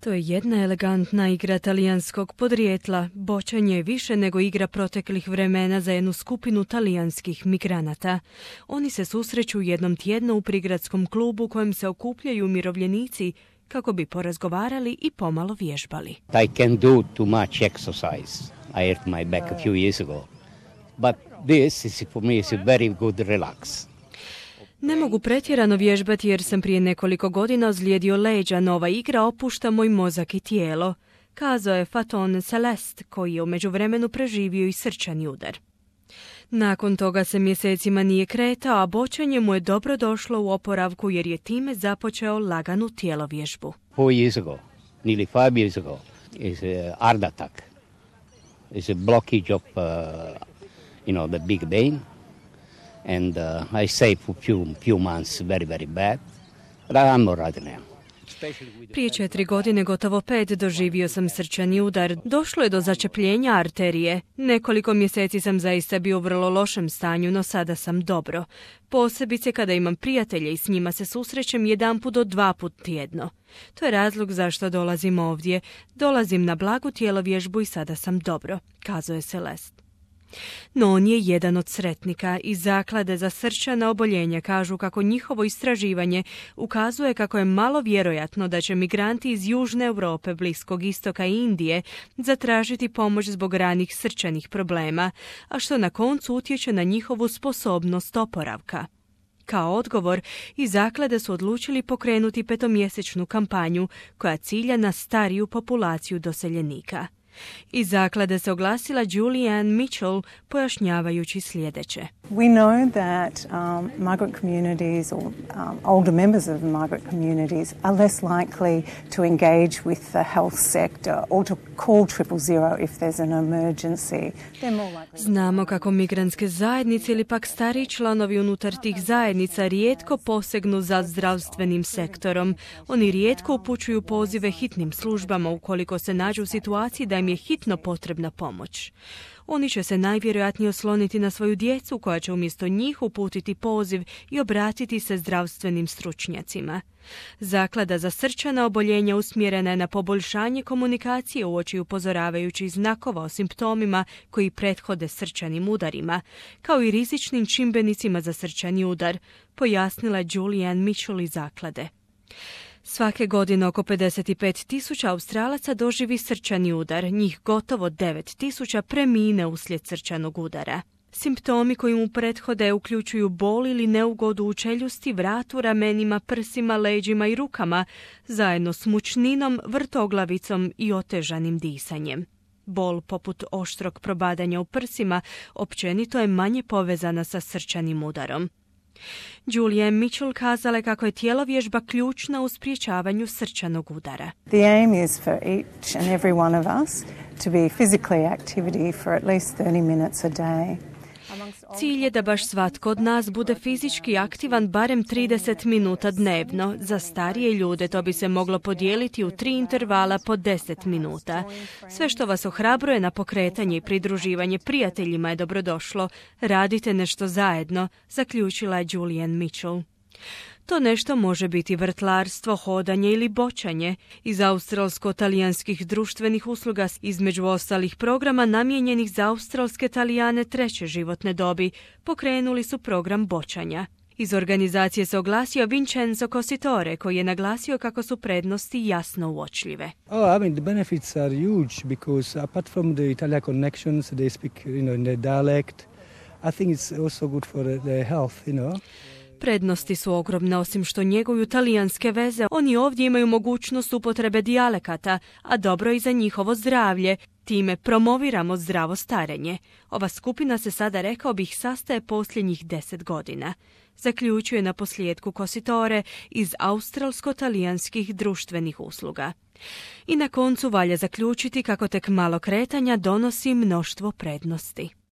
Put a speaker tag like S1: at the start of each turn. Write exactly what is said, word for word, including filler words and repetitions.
S1: To je jedna elegantna igra talijanskog podrijetla. Boćanje je više nego igra proteklih vremena za jednu skupinu talijanskih migranata. Oni se susreću jednom tjedno u prigradskom klubu kojem se okupljaju umirovljenici kako bi porazgovarali i pomalo vježbali.
S2: I can do too much exercise. I hurt my back a few years ago. But this is for me is a very good relax.
S1: Ne mogu pretjerano vježbati jer sam prije nekoliko godina ozlijedio leđa, nova igra opušta moj mozak i tijelo, kazao je Faton Celeste, koji je u međuvremenu preživio i srčani udar. Nakon toga se mjesecima nije kretao, a boćanje mu je dobro došlo u oporavku jer je time započeo laganu tjelovježbu.
S2: Four years ago, nearly five years ago, is a heart attack. It's a blockage of, uh, you know, the big vein. And uh, I stayed for few few months very very bad, but I'm all right now.
S1: Prije četiri godine, gotovo pet, doživio sam srčani udar. Došlo je do začepljenja arterije. Nekoliko mjeseci sam zaista bio u vrlo lošem stanju, no sada sam dobro. Posebice kada imam prijatelje i s njima se susrećem jedanput do dva put tjedno. To je razlog zašto dolazim ovdje. Dolazim na blagu tjelovježbu i sada sam dobro, kazao je Celeste. No on je jedan od sretnika. Iz zaklade za srčana oboljenja kažu kako njihovo istraživanje ukazuje kako je malo vjerojatno da će migranti iz Južne Europe, Bliskog istoka i Indije zatražiti pomoć zbog ranih srčanih problema, a što na koncu utječe na njihovu sposobnost oporavka. Kao odgovor, iz zaklade su odlučili pokrenuti petomjesečnu kampanju koja cilja na stariju populaciju doseljenika. Iz zaklade se oglasila Julianne Mitchell pojašnjavajući sljedeće.
S3: We know that um, migrant communities or um, older members of migrant communities are less likely to engage with the health sector or to call triple zero if there's an emergency. They're more likely.
S1: Znamo kako migrantske zajednice ili pak stariji članovi unutar tih zajednica rijetko posegnu za zdravstvenim sektorom. Oni rijetko upućuju pozive hitnim službama ukoliko se nađu u situaciji da im je hitno potrebna pomoć. Oni će se najvjerojatnije osloniti na svoju djecu koja će umjesto njih uputiti poziv i obratiti se zdravstvenim stručnjacima. Zaklada za srčana oboljenja usmjerena je na poboljšanje komunikacije uoči upozoravajućih znakova o simptomima koji prethode srčanim udarima, kao i rizičnim čimbenicima za srčani udar, pojasnila je Julianne Mitchell iz zaklade. Svake godine oko pedeset pet tisuća Australaca doživi srčani udar, njih gotovo devet tisuća premine uslijed srčanog udara. Simptomi koji mu prethode uključuju bol ili neugodu u čeljusti, vratu, ramenima, prsima, leđima i rukama, zajedno s mučninom, vrtoglavicom i otežanim disanjem. Bol poput oštrog probadanja u prsima općenito je manje povezana sa srčanim udarom. Julianne Mitchell kazala je kako je tjelovježba ključna u sprječavanju srčanog udara.
S3: The aim is for each and every one of us to be physically activity for at least thirty minutes a day.
S1: Cilj je da baš svatko od nas bude fizički aktivan barem trideset minuta dnevno. Za starije ljude to bi se moglo podijeliti u tri intervala po deset minuta. Sve što vas ohrabruje na pokretanje i pridruživanje prijateljima je dobrodošlo. Radite nešto zajedno, zaključila je Julianne Mitchell. To nešto može biti vrtlarstvo, hodanje ili boćanje. Iz australsko-talijanskih društvenih usluga, između ostalih programa namijenjenih za australske Talijane treće životne dobi, pokrenuli su program boćanja. Iz organizacije se oglasio Vincenzo Cositore, koji je naglasio kako su prednosti jasno uočljive.
S4: Oh, I mean, the benefits are huge because apart from the Italian connections, they speak, you know, in their dialect. I think it's also good for their health, you know.
S1: Prednosti su ogromne, osim što njeguju talijanske veze, oni ovdje imaju mogućnost upotrebe dijalekata, a dobro i za njihovo zdravlje. Time promoviramo zdravo starenje. Ova skupina se sada, rekao bih, sastaje posljednjih deset godina. Zaključuje na posljedku Cositore iz australsko-talijanskih društvenih usluga. I na koncu valja zaključiti kako tek malo kretanja donosi mnoštvo prednosti.